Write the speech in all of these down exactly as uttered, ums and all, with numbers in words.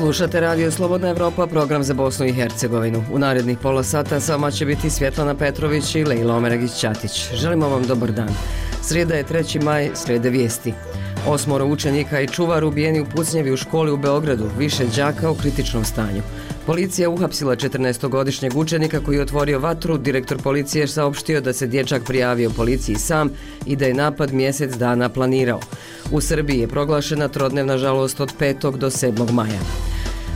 Slušate Radio Slobodna Evropa, program za Bosnu i Hercegovinu. U narednih pola sata s vama će biti Svjetlana Petrović i Lejla Omeragić-Ćatić. Želimo vam dobar dan. Srijeda je treći maj, slijede vijesti. Osmoro učenika i čuvar ubijeni u pucnjevi u školi u Beogradu, više đaka u kritičnom stanju. Policija uhapsila četrnaestogodišnjeg učenika koji je otvorio vatru. Direktor policije je saopštio da se dječak prijavio policiji sam i da je napad mjesec dana planirao. U Srbiji je proglašena trodnevna žalost od petog do sedmog maja.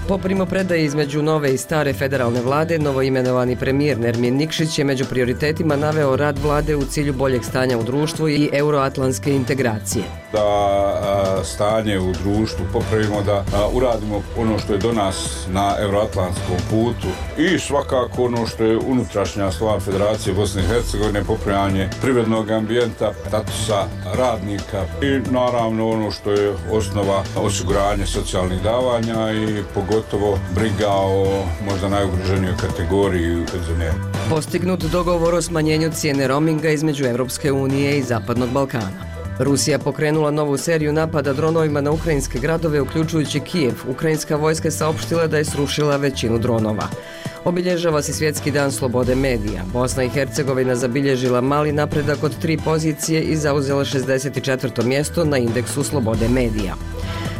Po primopredaji između nove i stare federalne vlade, novoimenovani premijer Nermin Nikšić je među prioritetima naveo rad vlade u cilju boljeg stanja u društvu i euroatlantske integracije. Da a, stanje u društvu popravimo, da a, uradimo ono što je do nas na euroatlantskom putu i svakako ono što je unutrašnja stvar Federacije Bosne i Hercegovine, popravljanje privrednog ambijenta, statusa radnika i naravno ono što je osnova osiguranje socijalnih davanja i pogotovo briga o možda najugroženijoj kategoriji penzionera. Postignut dogovor o smanjenju cijene roaminga između Evropske unije i Zapadnog Balkana. Rusija pokrenula novu seriju napada dronovima na ukrajinske gradove, uključujući Kijev. Ukrajinska vojska je saopštila da je srušila većinu dronova. Obilježava se Svjetski dan slobode medija. Bosna i Hercegovina zabilježila mali napredak od tri pozicije i zauzela šezdeset četvrto mjesto na indeksu slobode medija.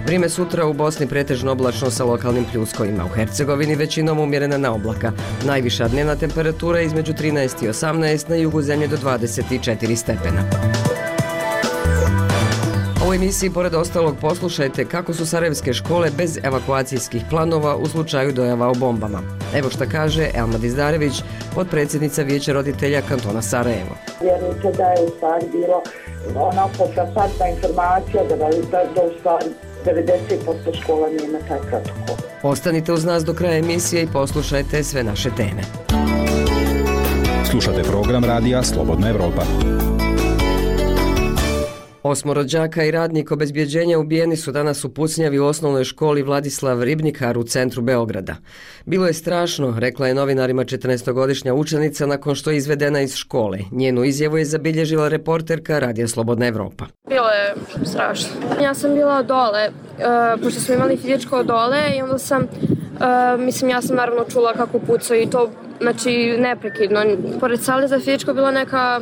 Vrijeme sutra u Bosni pretežno oblačno sa lokalnim pljuskovima. U Hercegovini većinom umjerena na oblaka. Najviša dnevna temperatura je između trinaest i osamnaest, na jugu zemlje do dvadeset četiri stepena. U emisiji pored ostalog poslušajte kako su sarajevske škole bez evakuacijskih planova u slučaju dojava o bombama. Evo šta kaže Elma Dizdarević, potpredsjednica Vijeća roditelja kantona Sarajevo. Vjerujte da je u stvari bilo onako frapantna informacija da, da, da u stvari devedeset posto škola nema taj protokol. Ostanite uz nas do kraja emisije i poslušajte sve naše teme. Slušate program radija Slobodna Evropa. Osmoro đaka i radnik obezbjeđenja ubijeni su danas u pucnjavi u osnovnoj školi Vladislav Ribnikar u centru Beograda. Bilo je strašno, rekla je novinarima četrnaestogodišnja učenica nakon što je izvedena iz škole. Njenu izjavu je zabilježila reporterka Radija Slobodna Evropa. Bilo je strašno. Ja sam bila dole, uh, pošto smo imali fizičko dole i onda sam, uh, mislim ja sam naravno čula kako pucaju i to, znači neprekidno. Pored sale za fizičko bila neka,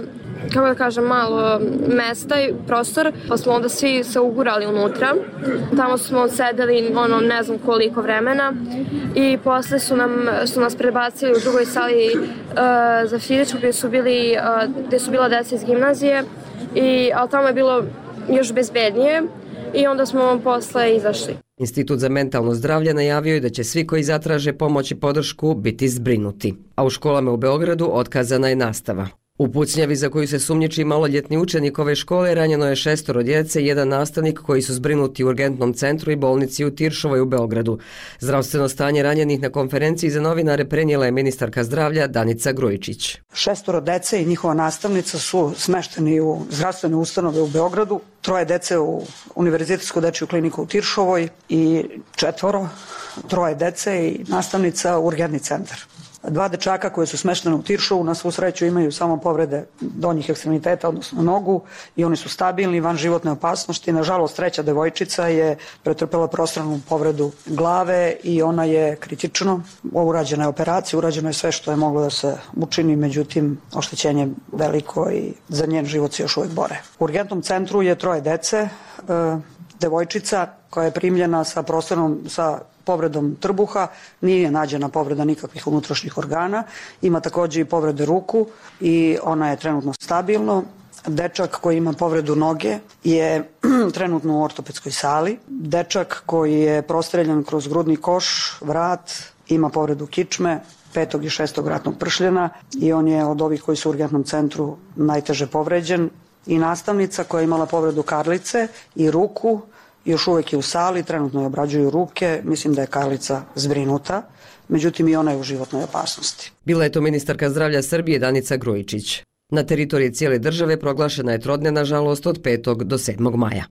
kako da kažem, malo mesta i prostor, pa smo onda svi se ugurali unutra. Tamo smo sedeli, ono, ne znam koliko vremena i posle su, nam, su nas prebacili u drugoj sali uh, za fizičku gdje su, bili, uh, gdje su bila deca iz gimnazije, i, ali tamo je bilo još bezbednije i onda smo posle izašli. Institut za mentalno zdravlje najavio je da će svi koji zatraže pomoć i podršku biti zbrinuti. A u školama u Beogradu otkazana je nastava. U pucnjavi za koju se sumnjiči maloljetni učenik ove škole ranjeno je šestoro djece i jedan nastavnik koji su zbrinuti u urgentnom centru i bolnici u Tiršovoj u Beogradu. Zdravstveno stanje ranjenih na konferenciji za novinare prenijela je ministarka zdravlja Danica Grujičić. Šestoro djece i njihova nastavnica su smešteni u zdravstvene ustanove u Beogradu, troje djece u Univerzitetsku dečju kliniku u Tiršovoj i četvoro, troje djece i nastavnica u urgentni centar. Dva dečaka koje su smeštene u Tiršovu na svu sreću imaju samo povrede donjih ekstremiteta, odnosno nogu, i oni su stabilni, van životne opasnosti. Nažalost, treća devojčica je pretrpela prostranu povredu glave i ona je kritično. Urađena je operacija, urađeno je sve što je moglo da se učini, međutim, oštećenje je veliko i za njen život se još uvijek bore. U urgentnom centru je troje dece, devojčica koja je primljena sa prostranom, sa povredom trbuha, nije nađena povreda nikakvih unutrašnjih organa, ima također i povrede ruku i ona je trenutno stabilno. Dečak koji ima povredu noge je trenutno u ortopedskoj sali. Dečak koji je prostreljan kroz grudni koš, vrat, ima povredu kičme, petog i šestog vratnog pršljena i on je od ovih koji su u urgentnom centru najteže povređen. I nastavnica koja je imala povredu karlice i ruku, još uvijek je u sali, trenutno je obrađuju ruke, mislim da je Karlica zbrinuta, međutim i ona je u životnoj opasnosti. Bila je to ministarka zdravlja Srbije Danica Grujičić. Na teritoriji cijele države proglašena je trodnevna žalost od petog do sedmog maja.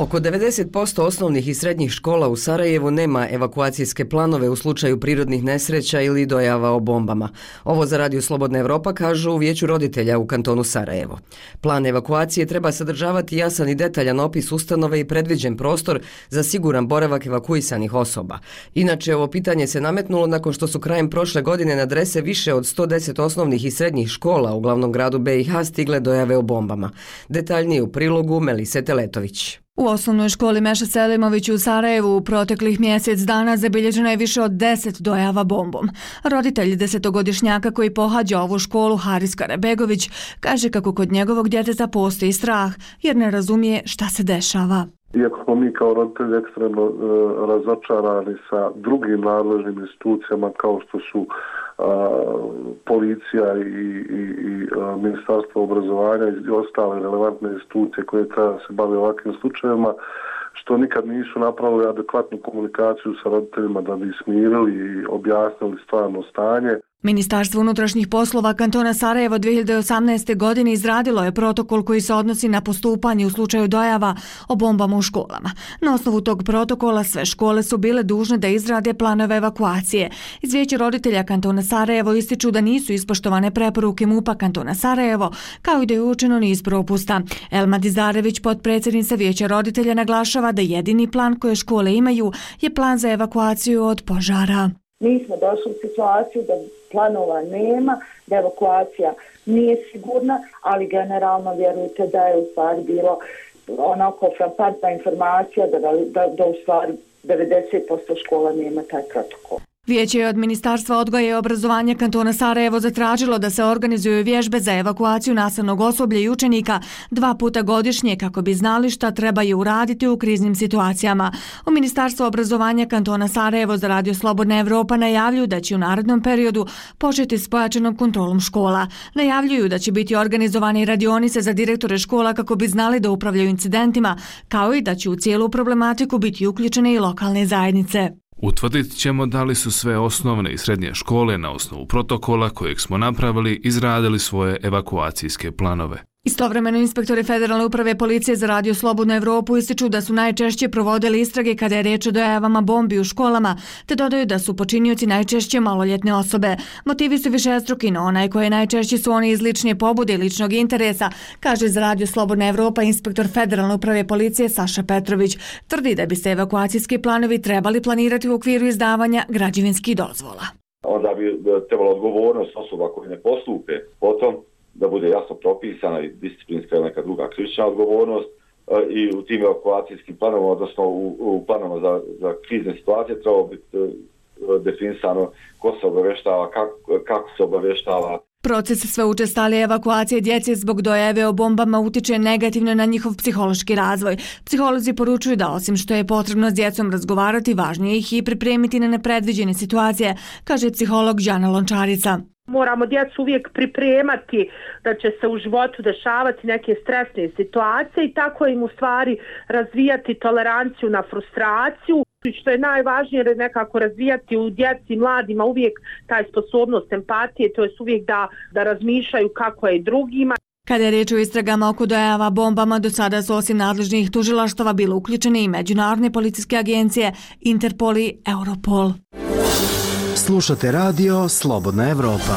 Oko devedeset posto osnovnih i srednjih škola u Sarajevu nema evakuacijske planove u slučaju prirodnih nesreća ili dojava o bombama. Ovo za Radio Slobodna Evropa kažu u Vijeću roditelja u kantonu Sarajevo. Plan evakuacije treba sadržavati jasan i detaljan opis ustanove i predviđen prostor za siguran boravak evakuisanih osoba. Inače, ovo pitanje se nametnulo nakon što su krajem prošle godine na adrese više od sto deset osnovnih i srednjih škola u glavnom gradu be i ha stigle dojave o bombama. Detaljnije u prilogu Melise Teletović. U osnovnoj školi Meša Selimović u Sarajevu u proteklih mjesec dana zabilježeno je više od deset dojava bombom. Roditelj desetogodišnjaka koji pohađa ovu školu, Haris Karabegović, kaže kako kod njegovog djeteta postoji strah jer ne razumije šta se dešava. Iako smo mi kao roditelji ekstremno e, razočarani sa drugim nadležnim institucijama kao što su a, policija i, i, i a, Ministarstvo obrazovanja i ostale relevantne institucije koje treba se bave ovakvim slučajevima, što nikad nisu napravili adekvatnu komunikaciju sa roditeljima da bi smirili i objasnili stvarno stanje. Ministarstvo unutrašnjih poslova kantona Sarajevo dvije hiljade osamnaeste. godine izradilo je protokol koji se odnosi na postupanje u slučaju dojava o bombama u školama. Na osnovu tog protokola sve škole su bile dužne da izrade planove evakuacije. Iz Vijeća roditelja kantona Sarajevo ističu da nisu ispoštovane preporuke MUP-a kantona Sarajevo, kao i da je učeno niz propusta. Elma Dizarević, potpredsjednica Vijeća roditelja, naglašava da jedini plan koje škole imaju je plan za evakuaciju od požara. Mi smo došli u situaciju da planova nema, da evakuacija nije sigurna, ali generalno vjerujte da je u stvari bilo onako frapantna informacija da, da, da u stvari devedeset posto škola nema taj protokol. Vijeće je od Ministarstva odgoja i obrazovanja kantona Sarajevo zatražilo da se organizuju vježbe za evakuaciju nastavnog osoblja i učenika dva puta godišnje kako bi znali šta trebaju uraditi u kriznim situacijama. U Ministarstvu obrazovanja kantona Sarajevo za Radio Slobodna Evropa najavljuju da će u narednom periodu početi s pojačanom kontrolom škola. Najavljuju da će biti organizovane radionice za direktore škola kako bi znali da upravljaju incidentima, kao i da će u cijelu problematiku biti uključene i lokalne zajednice. Utvrdit ćemo da li su sve osnovne i srednje škole na osnovu protokola kojeg smo napravili izradili svoje evakuacijske planove. Istovremeno inspektori Federalne uprave policije za Radio Slobodnu Evropu ističu da su najčešće provodili istrage kada je riječ o dojavama bombi u školama, te dodaju da su počinioci najčešće maloljetne osobe. Motivi su višestruki, no onaj koji najčešće su oni iz lične pobude i ličnog interesa, kaže za Radio Slobodna Evropa inspektor Federalne uprave policije Saša Petrović. Tvrdi da bi se evakuacijski planovi trebali planirati u okviru izdavanja građevinskih dozvola. Onda bi trebalo odgovornost osoba koji ne postupe potom da bude jasno propisana i disciplinska ili neka druga krivična odgovornost i u tim evakuacijskim planovima, odnosno u, u planovima za, za krizne situacije trebalo biti definisano ko se obavještava, kako, kako se obavještava. Proces sve učestalije evakuacije djece zbog dojave o bombama utiče negativno na njihov psihološki razvoj. Psiholozi poručuju da osim što je potrebno s djecom razgovarati, važnije ih i pripremiti na nepredviđene situacije, kaže psiholog Đana Lončarica. Moramo djecu uvijek pripremati da će se u životu dešavati neke stresne situacije i tako im u stvari razvijati toleranciju na frustraciju. Što je najvažnije je nekako razvijati u djeci, mladima uvijek taj sposobnost empatije, to je uvijek da, da razmišljaju kako je drugima. Kada je riječ o istragama oko dojava bombama, do sada su osim nadležnih tužilaštava bile uključene i međunarodne policijske agencije Interpol i Europol. Slušate Radio Slobodna Evropa.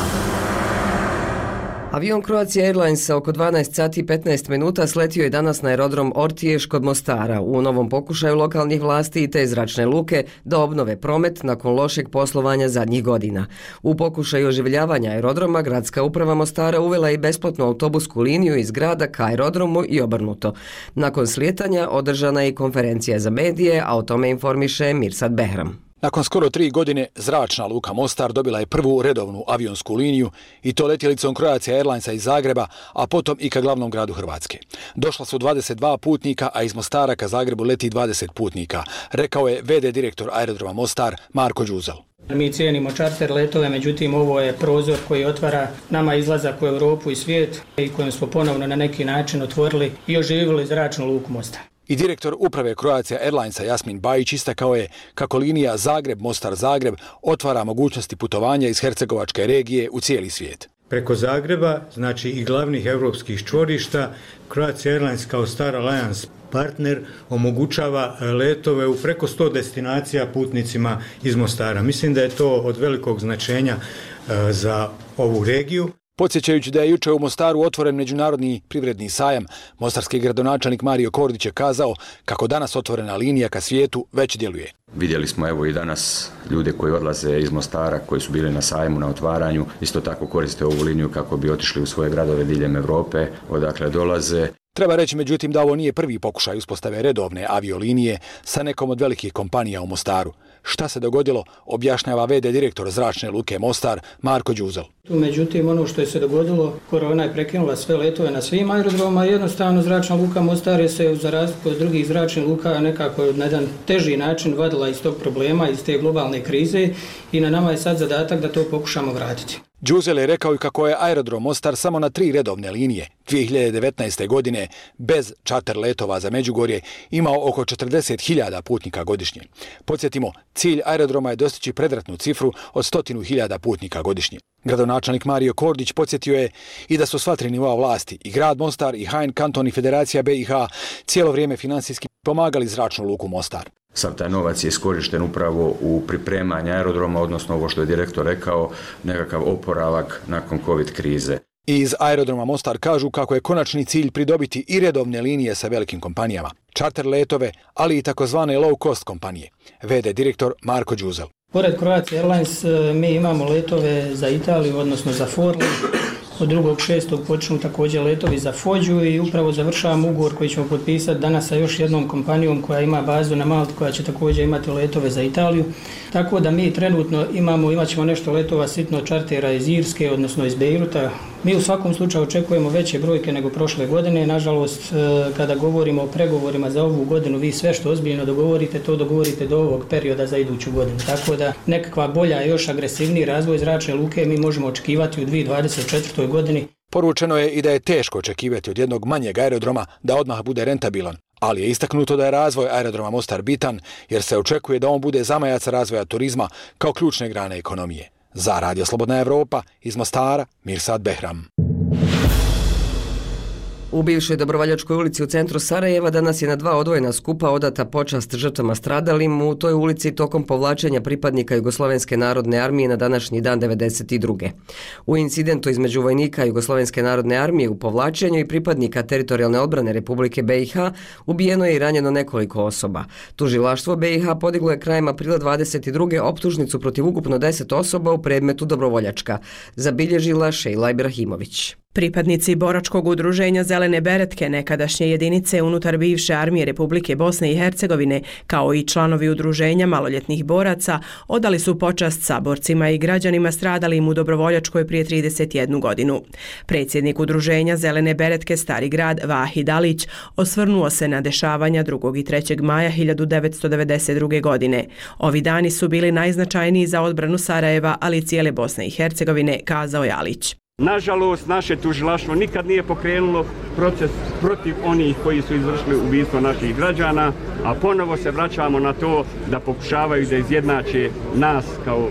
Avion Croatia Airlinesa oko dvanaest sati i petnaest minuta sletio je danas na aerodrom Ortiješ kod Mostara u novom pokušaju lokalnih vlasti i te zračne luke da obnove promet nakon lošeg poslovanja zadnjih godina. U pokušaju oživljavanja aerodroma gradska uprava Mostara uvela i besplatnu autobusku liniju iz grada ka aerodromu i obrnuto. Nakon slijetanja održana je i konferencija za medije, a o tome informiše Mirsad Behram. Nakon skoro tri godine, zračna luka Mostar dobila je prvu redovnu avionsku liniju i to letjelicom Croatia Airlinesa iz Zagreba, a potom i ka glavnom gradu Hrvatske. Došla su dvadeset dva putnika, a iz Mostara ka Zagrebu leti dvadeset putnika, rekao je ve de direktor aerodroma Mostar Marko Đuzel. Mi cijenimo čarter letove, međutim ovo je prozor koji otvara nama izlazak u Europu i svijet i kojim smo ponovno na neki način otvorili i oživili zračnu luku Mostar. I direktor uprave Croatia Airlinesa Jasmin Bajić istakao je kako linija Zagreb-Mostar-Zagreb otvara mogućnosti putovanja iz hercegovačke regije u cijeli svijet. Preko Zagreba, znači i glavnih europskih čvorišta, Croatia Airlines kao Star Alliance partner omogućava letove u preko sto destinacija putnicima iz Mostara. Mislim da je to od velikog značenja za ovu regiju. Podsjećajući da je juče u Mostaru otvoren međunarodni privredni sajam, mostarski gradonačelnik Mario Kordić je kazao kako danas otvorena linija ka svijetu već djeluje. Vidjeli smo evo i danas ljude koji odlaze iz Mostara, koji su bili na sajmu, na otvaranju, isto tako koriste ovu liniju kako bi otišli u svoje gradove diljem Europe, odakle dolaze. Treba reći međutim da ovo nije prvi pokušaj uspostave redovne aviolinije sa nekom od velikih kompanija u Mostaru. Šta se dogodilo, objašnjava ve de direktor Zračne luke Mostar Marko Đuzel. Međutim, ono što je se dogodilo, korona je prekinula sve letove na svim aerodromima, jednostavno Zračna luka Mostar je se za razliku od drugih zračnih luka nekako na jedan teži način vadila iz tog problema, iz te globalne krize i na nama je sad zadatak da to pokušamo vratiti. Đuzel je rekao i kako je aerodrom Mostar samo na tri redovne linije dvije hiljade devetnaeste. godine bez čarter letova za Međugorje imao oko četrdeset hiljada putnika godišnje. Podsjetimo, cilj aerodroma je dostići predratnu cifru od stotinu hiljada putnika godišnje. Gradonačelnik Mario Kordić podsjetio je i da su sva tri nivoa vlasti, i grad Mostar, i Hain kanton i Federacija be i ha, cijelo vrijeme finansijski pomagali Zračnu luku Mostar. Sav taj novac je iskorišten upravo u pripremanju aerodroma, odnosno ovo što je direktor rekao, nekakav oporavak nakon covid krize. I iz aerodroma Mostar kažu kako je konačni cilj pridobiti i redovne linije sa velikim kompanijama, čarter letove, ali i takozvane low cost kompanije. ve de direktor Marko Đuzel. Pored Croatia Airlines mi imamo letove za Italiju, odnosno za Forli. Od drugog šestog počnu također letovi za Fođu i upravo završavamo ugovor koji ćemo potpisati danas sa još jednom kompanijom koja ima bazu na Malti, koja će također imati letove za Italiju. Tako da mi trenutno imamo, imat ćemo nešto letova sitno čartera iz Irske, odnosno iz Bejruta. Mi u svakom slučaju očekujemo veće brojke nego prošle godine. Nažalost, kada govorimo o pregovorima za ovu godinu, vi sve što ozbiljno dogovorite, to dogovorite do ovog perioda za iduću godinu. Tako da nekakva bolja, još agresivniji razvoj Zračne luke mi možemo očekivati u dvije hiljade dvadeset četvrtoj. godini. Poručeno je i da je teško očekivati od jednog manjeg aerodroma da odmah bude rentabilan, ali je istaknuto da je razvoj aerodroma Mostar bitan jer se očekuje da on bude zamajac razvoja turizma kao ključne grane ekonomije. Za Radio Slobodna Evropa iz Mostara, Mirsad Behram. U bivšoj Dobrovoljačkoj ulici u centru Sarajeva danas je na dva odvojena skupa odata počast žrtvama stradalim u toj ulici tokom povlačenja pripadnika Jugoslovenske narodne armije na današnji dan devedeset druge. U incidentu između vojnika Jugoslovenske narodne armije u povlačenju i pripadnika teritorijalne odbrane Republike be i ha ubijeno je i ranjeno nekoliko osoba. Tužilaštvo be i ha podiglo je krajem aprila dvadeset druge optužnicu protiv ukupno deset osoba u predmetu Dobrovoljačka, zabilježila Šejla Ibrahimović. Pripadnici boračkog udruženja Zelene beretke, nekadašnje jedinice unutar bivše armije Republike Bosne i Hercegovine, kao i članovi udruženja maloljetnih boraca, odali su počast saborcima i građanima stradalim u Dobrovoljačkoj prije trideset jednu godinu. Predsjednik udruženja Zelene beretke Stari grad Vahid Alić osvrnuo se na dešavanja drugog i trećeg maja hiljadu devetsto devedeset druge. godine. Ovi dani su bili najznačajniji za odbranu Sarajeva, ali i cijele Bosne i Hercegovine, kazao je Alić. Nažalost, naše tužilaštvo nikad nije pokrenulo proces protiv onih koji su izvršili ubistvo naših građana, a ponovo se vraćamo na to da pokušavaju da izjednače nas kao,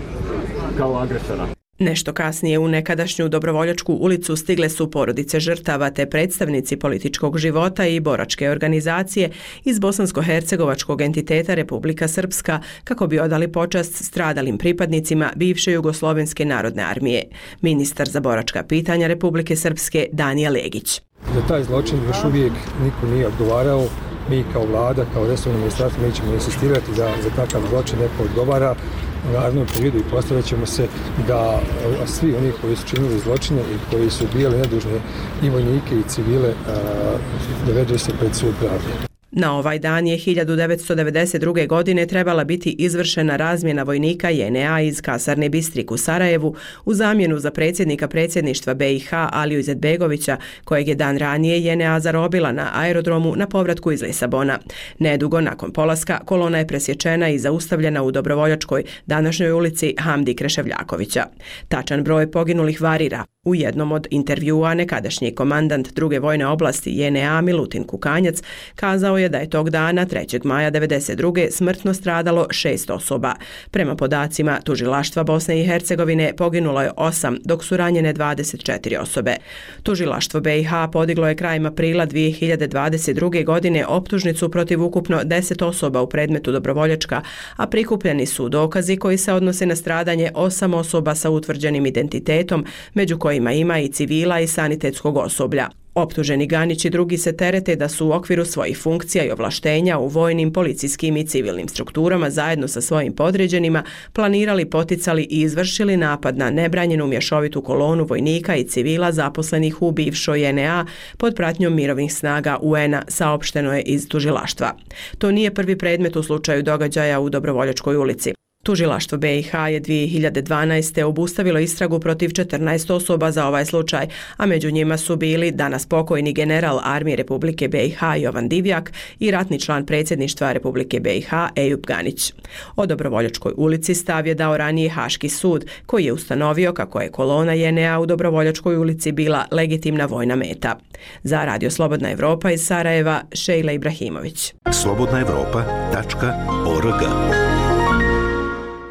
kao agresora. Nešto kasnije u nekadašnju Dobrovoljačku ulicu stigle su porodice žrtava te predstavnici političkog života i boračke organizacije iz bosansko-hercegovačkog entiteta Republika Srpska kako bi odali počast stradalim pripadnicima bivše Jugoslovenske narodne armije. Ministar za boračka pitanja Republike Srpske Danija Legić. Za taj zločin još uvijek niko nije odgovarao. Mi kao vlada, kao resorno ministarstvo, mi ćemo insistirati da za takav zločin neko odgovara u narednom periodu i postavit ćemo se da svi oni koji su činili zločine i koji su ubijali nedužne i vojnike i civile dovedu se pred sud pravde. Na ovaj dan je hiljadu devetsto devedeset druge. godine trebala biti izvršena razmjena vojnika je en a iz kasarne Bistrik u Sarajevu u zamjenu za predsjednika predsjedništva be i ha Aliju Izetbegovića, kojeg je dan ranije je en a zarobila na aerodromu na povratku iz Lisabona. Nedugo nakon polaska kolona je presječena i zaustavljena u Dobrovoljačkoj, današnjoj ulici Hamdi Kreševljakovića. Tačan broj poginulih varira. U jednom od intervjua nekadašnji komandant druge vojne oblasti J N A Milutin Kukanjac kazao je da je tog dana trećeg maja devedeset druge smrtno stradalo šest osoba. Prema podacima tužilaštva Bosne i Hercegovine poginulo je osam, dok su ranjene dvadeset četiri osobe. Tužilaštvo B i H podiglo je krajem aprila dvije hiljade dvadeset druge. godine optužnicu protiv ukupno deset osoba u predmetu Dobrovoljačka, a prikupljeni su dokazi koji se odnose na stradanje osam osoba sa utvrđenim identitetom, među kojima ima i civila i sanitetskog osoblja. Optuženi Ganić i drugi se terete da su u okviru svojih funkcija i ovlaštenja u vojnim, policijskim i civilnim strukturama zajedno sa svojim podređenima planirali, poticali i izvršili napad na nebranjenu mješovitu kolonu vojnika i civila zaposlenih u bivšoj J N A pod pratnjom mirovnih snaga U N A, saopšteno je iz tužilaštva. To nije prvi predmet u slučaju događaja u Dobrovoljačkoj ulici. Tužilaštvo B i H je dvije hiljade dvanaeste. obustavilo istragu protiv četrnaest osoba za ovaj slučaj, a među njima su bili danas pokojni general Armije Republike B i H Jovan Divjak i ratni član predsjedništva Republike B i H Ejub Ganić. O Dobrovoljačkoj ulici stav je dao ranije Haški sud, koji je ustanovio kako je kolona J N A u Dobrovoljačkoj ulici bila legitimna vojna meta. Za Radio Slobodna Evropa iz Sarajeva, Šejla Ibrahimović. slobodna evropa tačka org.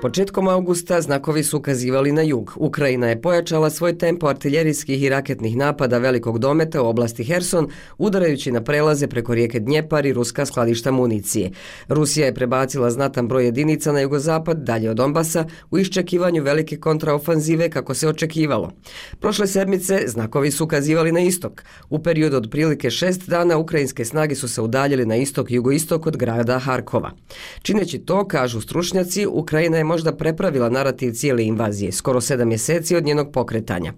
Početkom augusta znakovi su ukazivali na jug. Ukrajina je pojačala svoj tempo artiljerijskih i raketnih napada velikog dometa u oblasti Herson, udarajući na prelaze preko rijeke Dnjepar i ruska skladišta municije. Rusija je prebacila znatan broj jedinica na jugozapad, dalje od Donbasa, u iščekivanju velike kontraofanzive kako se očekivalo. Prošle sedmice znakovi su ukazivali na istok. U periodu od prilike šest dana ukrajinske snage su se udaljili na istok i jugoistok od grada Harkova. Čineći to, kažu stručnjaci, Ukrajina je možda prepravila narativ cijele invazije, skoro sedam mjeseci od njenog pokretanja.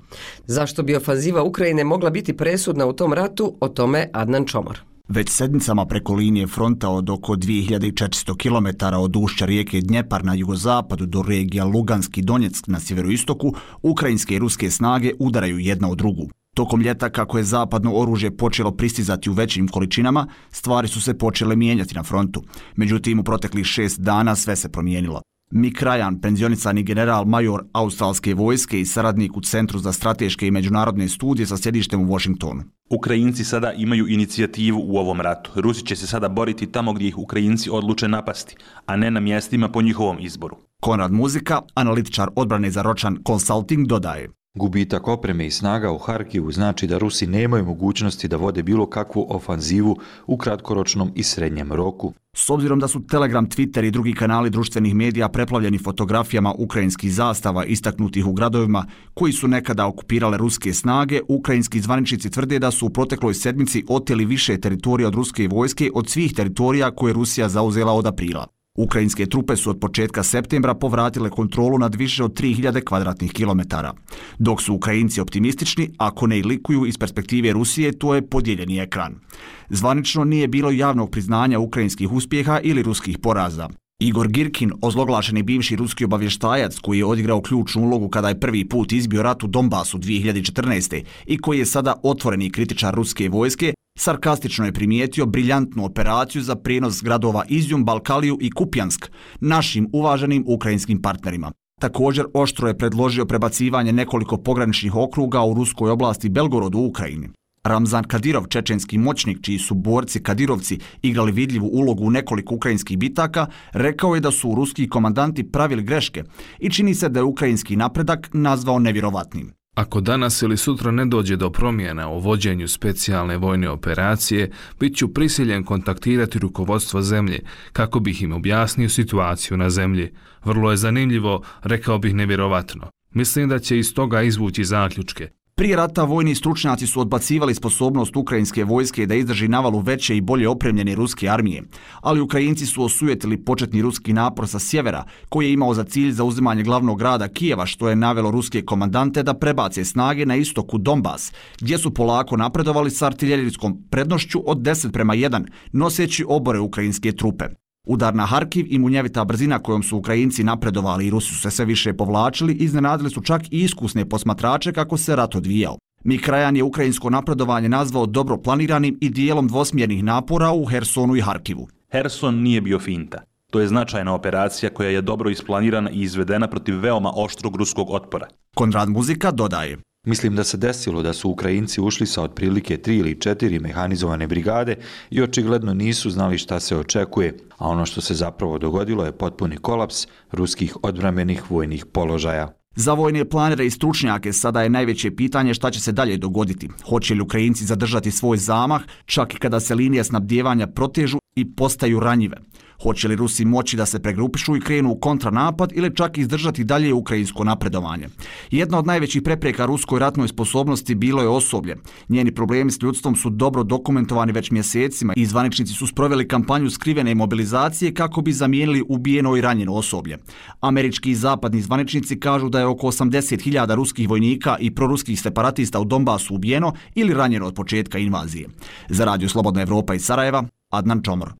Zašto bi ofanziva Ukrajine mogla biti presudna u tom ratu, o tome Adnan Čomor. Već sedmicama preko linije fronta od oko dvije hiljade četiristo kilometara od ušća rijeke Dnjepar na jugozapadu do regija Lugansk i Donjeck na sjeveroistoku, ukrajinske i ruske snage udaraju jedna od drugu. Tokom ljeta, kako je zapadno oružje počelo pristizati u većim količinama, stvari su se počele mijenjati na frontu. Međutim, u proteklih šest dana sve se promijenilo. Mik Ryan, penzionicani general major australske vojske i saradnik u Centru za strateške i međunarodne studije sa sjedištem u Washingtonu. Ukrajinci sada imaju inicijativu u ovom ratu. Rusi će se sada boriti tamo gdje ih Ukrajinci odluče napasti, a ne na mjestima po njihovom izboru. Konrad Muzika, analitičar odbrane za Ročan Consulting, dodaje: Gubitak opreme i snaga u Harkivu znači da Rusi nemaju mogućnosti da vode bilo kakvu ofanzivu u kratkoročnom i srednjem roku. S obzirom da su Telegram, Twitter i drugi kanali društvenih medija preplavljeni fotografijama ukrajinskih zastava istaknutih u gradovima koji su nekada okupirale ruske snage, ukrajinski zvaničnici tvrde da su u protekloj sedmici oteli više teritorija od ruske vojske od svih teritorija koje je Rusija zauzela od aprila. Ukrajinske trupe su od početka septembra povratile kontrolu nad više od tri hiljade kvadratnih kilometara. Dok su Ukrajinci optimistični, ako ne i likuju iz perspektive Rusije, to je podijeljeni ekran. Zvanično nije bilo javnog priznanja ukrajinskih uspjeha ili ruskih poraza. Igor Girkin, ozloglašeni bivši ruski obavještajac koji je odigrao ključnu ulogu kada je prvi put izbio rat u Donbasu dvije hiljade četrnaeste. i koji je sada otvoreni kritičar ruske vojske, sarkastično je primijetio briljantnu operaciju za prijenos gradova Izjum, Balkaliju i Kupjansk našim uvaženim ukrajinskim partnerima. Također oštro je predložio prebacivanje nekoliko pograničnih okruga u ruskoj oblasti Belgorod u Ukrajini. Ramzan Kadirov, čečenski moćnik čiji su borci Kadirovci igrali vidljivu ulogu u nekoliko ukrajinskih bitaka, rekao je da su ruski komandanti pravili greške i čini se da je ukrajinski napredak nazvao nevjerovatnim. Ako danas ili sutra ne dođe do promjena u vođenju specijalne vojne operacije, bit ću prisiljen kontaktirati rukovodstvo zemlje kako bih im objasnio situaciju na zemlji. Vrlo je zanimljivo, rekao bih nevjerovatno. Mislim da će iz toga izvući zaključke. Prije rata vojni stručnjaci su odbacivali sposobnost ukrajinske vojske da izdrži navalu veće i bolje opremljene ruske armije, ali Ukrajinci su osujetili početni ruski napor sa sjevera, koji je imao za cilj zauzimanje glavnog grada Kijeva, što je navelo ruske komandante da prebace snage na istoku Donbas, gdje su polako napredovali sa artiljerijskom prednošću od deset prema jedan, noseći obore ukrajinske trupe. Udar na Harkiv i munjevita brzina kojom su Ukrajinci napredovali i Rusi su se sve više povlačili, iznenadili su čak i iskusne posmatrače kako se rat odvijao. Mik Ryan je ukrajinsko napredovanje nazvao dobro planiranim i dijelom dvosmjernih napora u Hersonu i Harkivu. Herson nije bio finta. To je značajna operacija koja je dobro isplanirana i izvedena protiv veoma oštrog ruskog otpora. Konrad Muzika dodaje: Mislim da se desilo da su Ukrajinci ušli sa otprilike tri ili četiri mehanizovane brigade i očigledno nisu znali šta se očekuje, a ono što se zapravo dogodilo je potpuni kolaps ruskih odbrambenih vojnih položaja. Za vojne planere i stručnjake sada je najveće pitanje šta će se dalje dogoditi. Hoće li Ukrajinci zadržati svoj zamah, čak i kada se linije snabdijevanja protežu i postaju ranjive? Hoće li Rusi moći da se pregrupišu i krenu u kontranapad ili čak izdržati dalje ukrajinsko napredovanje? Jedna od najvećih prepreka ruskoj ratnoj sposobnosti bilo je osoblje. Njeni problemi s ljudstvom su dobro dokumentovani već mjesecima i zvaničnici su sproveli kampanju skrivene mobilizacije kako bi zamijenili ubijeno i ranjeno osoblje. Američki i zapadni zvaničnici kažu da je oko osamdeset hiljada ruskih vojnika i proruskih separatista u Donbasu ubijeno ili ranjeno od početka invazije. Za Radio Slobodna Evropa iz Sarajeva, Adnan Čomor.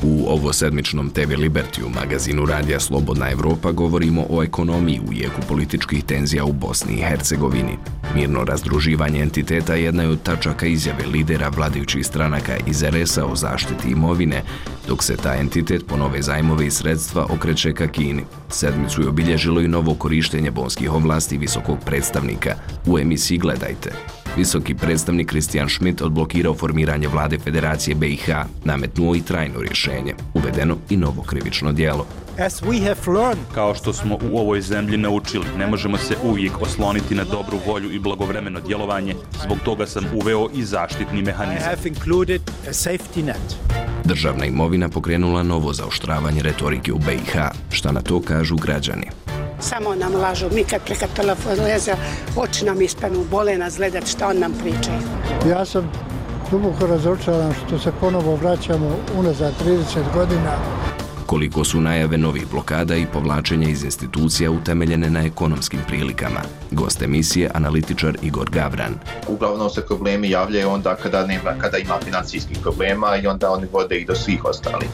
U ovosedmičnom te ve Libertiju magazinu Radija Slobodna Evropa govorimo o ekonomiji u jeku političkih tenzija u Bosni i Hercegovini. Mirno razdruživanje entiteta jedna je od tačaka izjave lidera vladajućih stranaka iz er es a o zaštiti imovine, dok se ta entitet po nove zajmove i sredstva okreće ka Kini. Sedmicu je obilježilo i novo korištenje bonskih ovlasti visokog predstavnika. U emisiji Gledajte. Visoki predstavnik Kristijan Schmidt odblokirao formiranje vlade Federacije be i ha, nametnuo i trajno rješenje, uvedeno i novo krivično djelo. Kao što smo u ovoj zemlji naučili, ne možemo se uvijek osloniti na dobru volju i blagovremeno djelovanje, zbog toga sam uveo i zaštitni mehanizam. Državna imovina pokrenula novo zaoštravanje retorike u be i ha, šta na to kažu građani. Samo nam lažu, mi kad preka telefon leze, oči nam ispanu, bole nas gledat šta on nam pričaju. Ja sam duboko razočaran što se ponovo vraćamo unazad trideset godina. Koliko su najave novih blokada i povlačenja iz institucija utemeljene na ekonomskim prilikama. Gost emisije, analitičar Igor Gavran. Uglavnom se problemi javljaju onda kada, nema, kada ima financijskih problema i onda oni vode i do svih ostalih.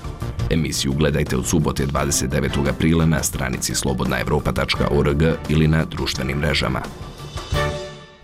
Emisiju gledajte od subote dvadeset devetog aprila na stranici slobodna evropa tačka org ili na društvenim mrežama.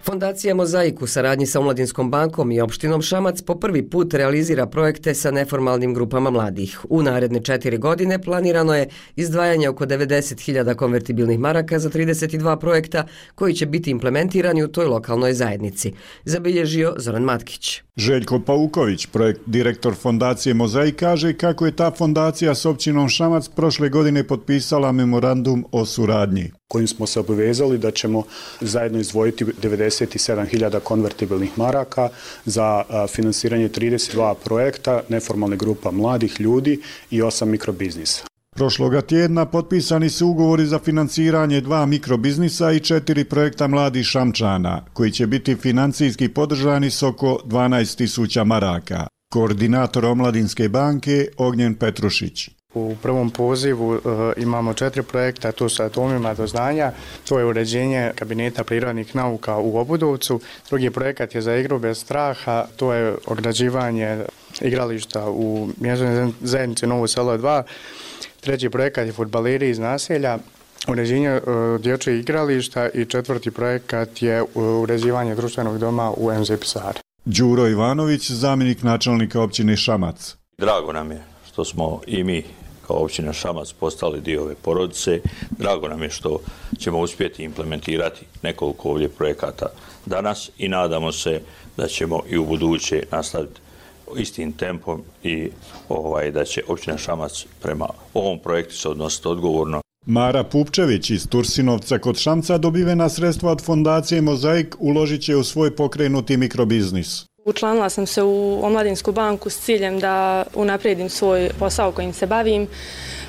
Fondacija Mozaik u saradnji sa Omladinskom bankom i opštinom Šamac po prvi put realizira projekte sa neformalnim grupama mladih. U naredne četiri godine planirano je izdvajanje oko devedeset hiljada konvertibilnih maraka za trideset dva projekta koji će biti implementirani u toj lokalnoj zajednici. Zabilježio Zoran Matkić. Željko Pauković, projekt direktor fondacije Mozaik, kaže kako je ta fondacija s općinom Šamac prošle godine potpisala memorandum o suradnji, kojim smo se obavezali da ćemo zajedno izdvojiti devedeset sedam hiljada konvertibilnih maraka za finansiranje trideset dva projekta neformalne grupa mladih ljudi i osam mikrobiznisa. Prošloga tjedna potpisani su ugovori za financiranje dva mikrobiznisa i četiri projekta mladih Šamčana, koji će biti financijski podržani s oko dvanaest tisuća maraka. Koordinator Omladinske banke Ognjen Petrušić. U prvom pozivu uh, imamo četiri projekta, to su atomima do znanja, to je uređenje kabineta prirodnih nauka u Obudovcu, drugi projekat je za igru bez straha, to je ograđivanje igrališta u mjesnoj zajednici Novo selo dva, treći projekat je fudbaleri iz naselja, uređenje uh, dječjeg igrališta i četvrti projekat je uređivanje društvenog doma u em ze Pisari. Đuro Ivanović, zamjenik načelnika općine Šamac. Drago nam je što smo i mi kao općina Šamac postali dio ove porodice. Drago nam je što ćemo uspjeti implementirati nekoliko ovdje projekata danas i nadamo se da ćemo i u buduće nastaviti istim tempom i ovaj, da će općina Šamac prema ovom projektu se odnositi odgovorno. Mara Pupčević iz Tursinovca kod Šamca dobivena sredstva od fondacije Mozaik uložit će u svoj pokrenuti mikrobiznis. Učlanila sam se u Omladinsku banku s ciljem da unaprijedim svoj posao kojim se bavim.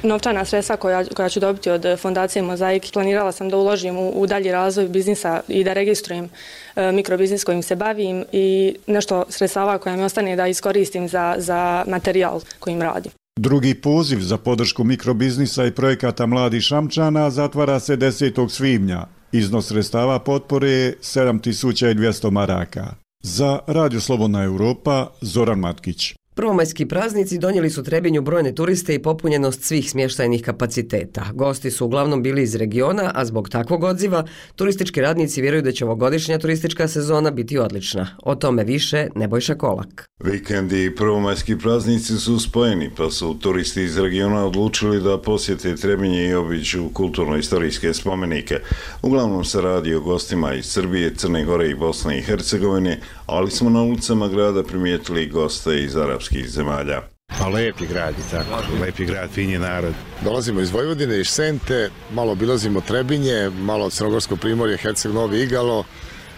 Novčana sredstva koja, koja ću dobiti od fondacije Mozaik planirala sam da uložim u, u dalji razvoj biznisa i da registrujem e, mikrobiznis kojim se bavim i nešto sredstava koja mi ostane da iskoristim za, za materijal kojim radim. Drugi poziv za podršku mikrobiznisa i projekata mladih Šamčana zatvara se desetog svibnja. Iznos sredstava potpore je sedam tisuća dvjesto maraka. Za Radio Slobodna Europa, Zoran Matkić. Prvomajski praznici donijeli su Trebinju brojne turiste i popunjenost svih smještajnih kapaciteta. Gosti su uglavnom bili iz regiona, a zbog takvog odziva turistički radnici vjeruju da će ovogodišnja turistička sezona biti odlična. O tome više Nebojša Kolak. Vikendi i prvomajski praznici su spojeni, pa su turisti iz regiona odlučili da posjete Trebinje i obiđu kulturno-istorijske spomenike. Uglavnom se radi o gostima iz Srbije, Crne Gore i Bosne i Hercegovine, ali smo na ulicama grada primijetili goste iz arapskih zemalja. Pa lepi grad i tako, lepi grad, finji narod. Dolazimo iz Vojvodine, iz Sente, malo obilazimo Trebinje, malo Crnogorsko primorje, Herceg Novi Igalo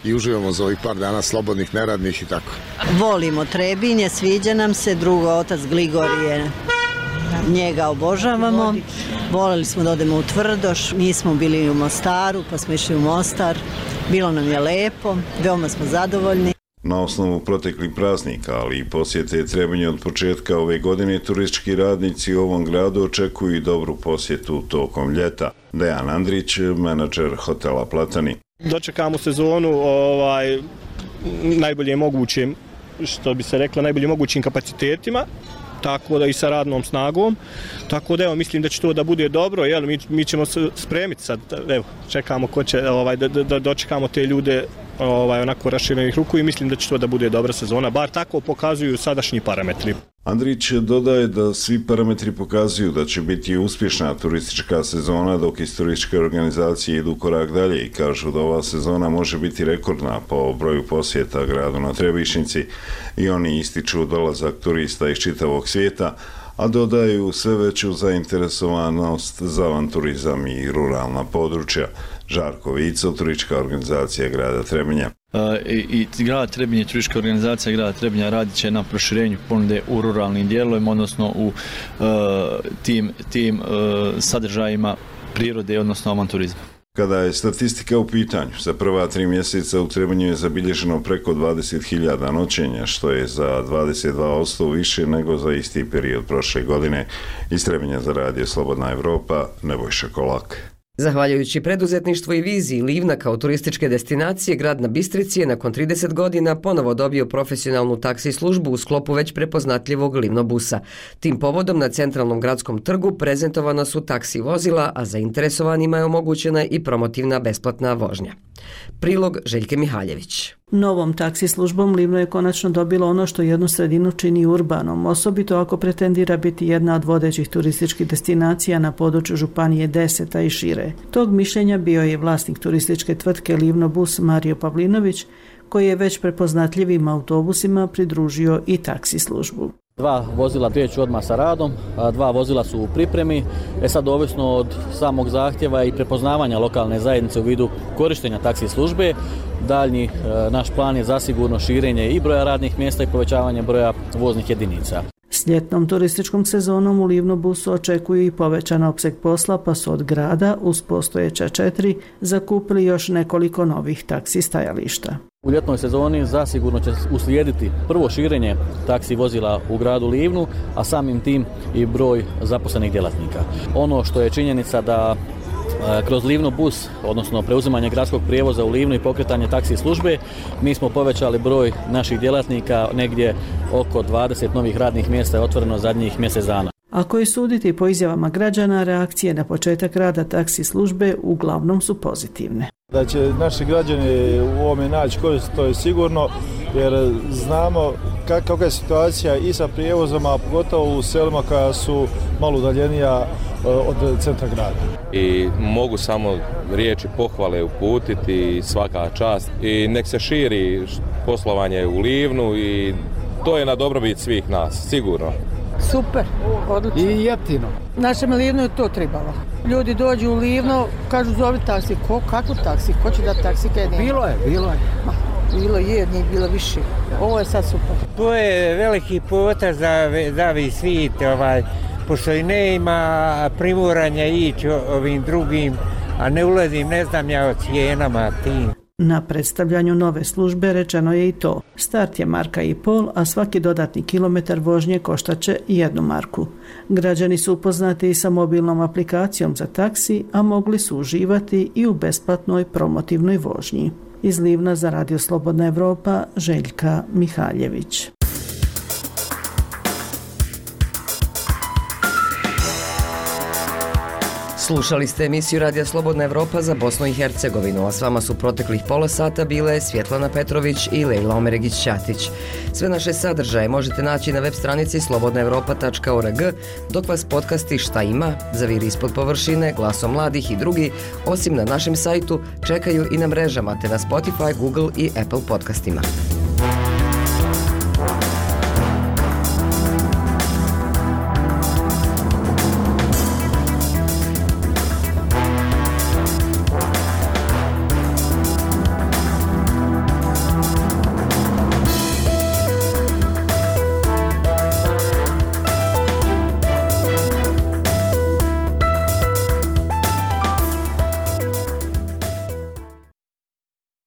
i uživamo za ovih par dana slobodnih, neradnih i tako. Volimo Trebinje, sviđa nam se, drugo otac Gligorije, njega obožavamo. Voleli smo da odemo u Tvrdoš, mi smo bili u Mostaru, pa smo išli u Mostar. Bilo nam je lepo, veoma smo zadovoljni. Na osnovu proteklih praznika, ali i posjete Trebinje od početka ove godine, turistički radnici u ovom gradu očekuju i dobru posjetu tokom ljeta. Dejan Andrić, menadžer hotela Platani. Dočekamo sezonu ovaj, najbolje mogućim, što bi se reklo, najbolje mogućim kapacitetima, tako da i sa radnom snagom, tako da evo, mislim da će to da bude dobro, jel, mi, mi ćemo se spremiti sad, evo, čekamo ko će, ovaj, da, da dočekamo te ljude ovaj, onako raširenih ruku i mislim da će to da bude dobra sezona, bar tako pokazuju sadašnji parametri. Andrić dodaje da svi parametri pokazuju da će biti uspješna turistička sezona, dok iz turističke organizacije idu korak dalje i kažu da ova sezona može biti rekordna po broju posjeta gradu na Trebišnjici i oni ističu dolazak turista iz čitavog svijeta, a dodaju sve veću zainteresovanost za avanturizam i ruralna područja. Žarko Vico, turistička organizacija grada Trebinja. I, i grad Trebinje, turistička organizacija grada Trebinja radit će na proširenju ponude u ruralnim dijelovima, odnosno u uh, tim, tim uh, sadržajima prirode, odnosno avanturizma. Kada je statistika u pitanju, za prva tri mjeseca u Trebinju je zabilježeno preko dvadeset hiljada noćenja, što je za dvadeset dva posto više nego za isti period prošle godine. Iz Trebinja za radio Slobodna Evropa, Nebojša Kolak. Zahvaljujući preduzetništvu i viziji Livna kao turističke destinacije, grad na Bistrici je nakon trideset godina ponovo dobio profesionalnu taksi službu u sklopu već prepoznatljivog Livnobusa. Tim povodom na centralnom gradskom trgu prezentovana su taksi vozila, a zainteresovanima je omogućena i promotivna besplatna vožnja. Prilog Željke Mihaljević. Novom taksi službom Livno je konačno dobilo ono što jednu sredinu čini urbanom, osobito ako pretendira biti jedna od vodećih turističkih destinacija na području Županije Deseta i šire. Tog mišljenja bio je vlasnik turističke tvrtke Livnobus Mario Pavlinović, koji je već prepoznatljivim autobusima pridružio i taksi službu. Dva vozila kreću odmah sa radom, a dva vozila su u pripremi. E sad, ovisno od samog zahtjeva i prepoznavanja lokalne zajednice u vidu korištenja taksi službe, daljnji e, naš plan je zasigurno širenje i broja radnih mjesta i povećavanje broja voznih jedinica. S ljetnom turističkom sezonom u Livnobusu očekuju i povećan opseg posla, pa su od grada uz postojeća četiri zakupili još nekoliko novih taksi stajališta. U ljetnoj sezoni zasigurno će uslijediti prvo širenje taksi vozila u gradu Livnu, a samim tim i broj zaposlenih djelatnika. Ono što je činjenica da kroz Livnobus, odnosno preuzimanje gradskog prijevoza u Livnu i pokretanje taksi službe, mi smo povećali broj naših djelatnika, negdje oko dvadeset novih radnih mjesta je otvoreno zadnjih mjesec dana. Ako je suditi po izjavama građana, reakcije na početak rada taksi službe uglavnom su pozitivne. Da će naši građani u ovome naći korist, to je sigurno, jer znamo kakva je situacija i sa prijevozom, a pogotovo u selima koja su malo udaljenija od centra grada. I mogu samo riječi pohvale uputiti, svaka čast, i nek se širi poslovanje u Livnu i to je na dobrobit svih nas, sigurno. Super, odlično. I jeftino. Našem Livnu je to trebalo. Ljudi dođu u Livno, kažu zovi taksi. Ko, kakvu taksi? Ko će da taksi? Bilo je, bilo je. Ma, bilo je, nije bilo više. Ovo je sad super. To je veliki potez za zavi svit, ovaj, pošto i ne ima primuranja ići ovim drugim, a ne ulazim, ne znam ja o cijenama tim. Na predstavljanju nove službe rečeno je i to. Start je marka i pol, a svaki dodatni kilometar vožnje koštaće jednu marku. Građani su upoznati i sa mobilnom aplikacijom za taksi, a mogli su uživati i u besplatnoj promotivnoj vožnji. Iz Livna za radio Slobodna Evropa, Željka Mihaljević. Slušali ste emisiju Radija Slobodna Evropa za Bosnu i Hercegovinu, a s vama su proteklih pola sata bile Svjetlana Petrović i Lejla Omeregić-Ćatić. Sve naše sadržaje možete naći na web stranici slobodna evropa tačka org, dok vas podcasti Šta ima, Zaviri ispod površine, Glasom mladih i drugi, osim na našem sajtu, čekaju i na mrežama te na Spotify, Google i Apple podcastima.